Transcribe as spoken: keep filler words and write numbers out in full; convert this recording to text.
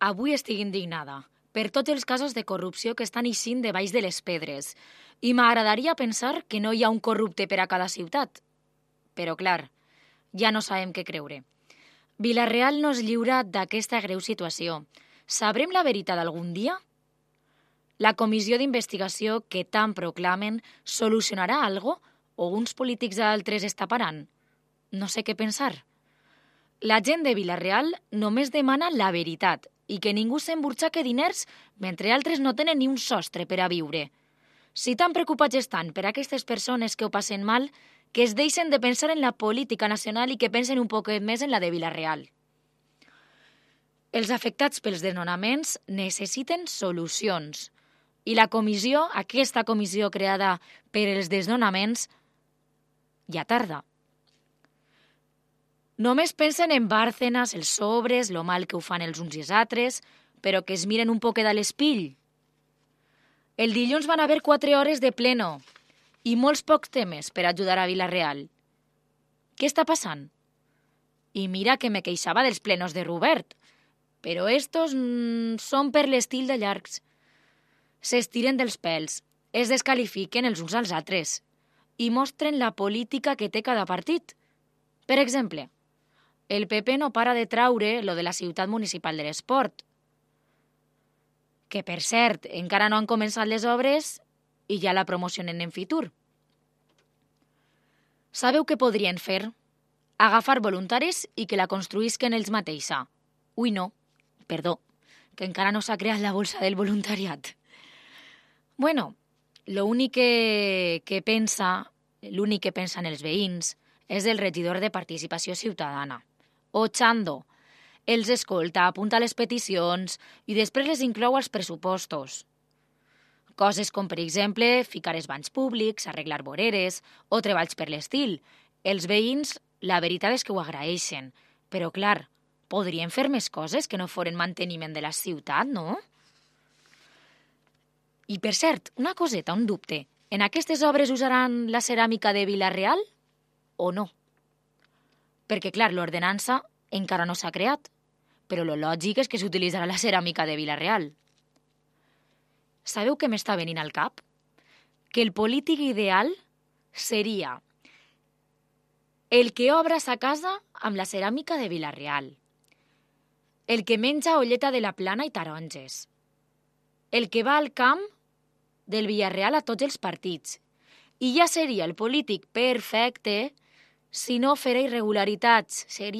Avui estic indignada per tots els casos de corrupció que estan eixint de baix de les pedres i m'agradaria pensar que no hi ha un corrupte per a cada ciutat. Però, clar, ja no sabem què creure. Vila-real no es lliura d'aquesta greu situació. Sabrem la veritat algun dia? La comissió d'investigació que tant proclamen solucionarà algo o uns polítics altres es taparan? No sé què pensar. La gent de Vila-real només demana la veritat i que ningú s'emburxaque diners mentre altres no tenen ni un sostre per a viure. Si tan preocupats estan per aquestes persones que ho passen mal, que es deixen de pensar en la política nacional i que pensen un poquet més en la de Vila-real. Els afectats pels desnonaments necessiten solucions i la comissió, aquesta comissió creada per els desnonaments, ja tarda. Només pensen en Bárcenas, els sobres, lo mal que ho fan els uns i els altres, però que es miren un poquet a l'espill. El dilluns van haver quatre hores de pleno i molts pocs temes per ajudar a Vila-real. Què està passant? I mira que me queixava dels plenos de Robert, però estos mmm, són per l'estil de llargs. S'estiren dels pèls, es descalifiquen els uns als altres i mostren la política que té cada partit. Per exemple, el P P no para de traure lo de la ciutat municipal de l'esport, que, per cert, encara no han començat les obres i ja la promocionen en Fitur. Sabeu què podrien fer? Agafar voluntaris i que la construïsquen ells mateixa. Ui, no, perdó, que encara no s'ha creat la bolsa del voluntariat. Bueno, l'únic que, que pensa, l'únic que pensen els veïns és el regidor de Participació Ciutadana, Ochando. Els escolta, apunta les peticions i després les inclou als pressupostos. Coses com, per exemple, ficar els banys públics, arreglar voreres o treballs per l'estil. Els veïns, la veritat és que ho agraeixen, però, clar, podrien fer més coses que no foren manteniment de la ciutat, no? I, per cert, una coseta, un dubte. En aquestes obres usaran la ceràmica de Vila-real o no? Perquè, clar, l'ordenança encara no s'ha creat, però lo lògic és que s'utilitzarà la ceràmica de Vila-real. Sabeu què m'està venint al cap? Que el polític ideal seria el que obra sa casa amb la ceràmica de Vila-real, el que menja olleta de la Plana i taronges, el que va al camp del Villarreal a tots els partits, i ja seria el polític perfecte si no fera irregularitats. Seria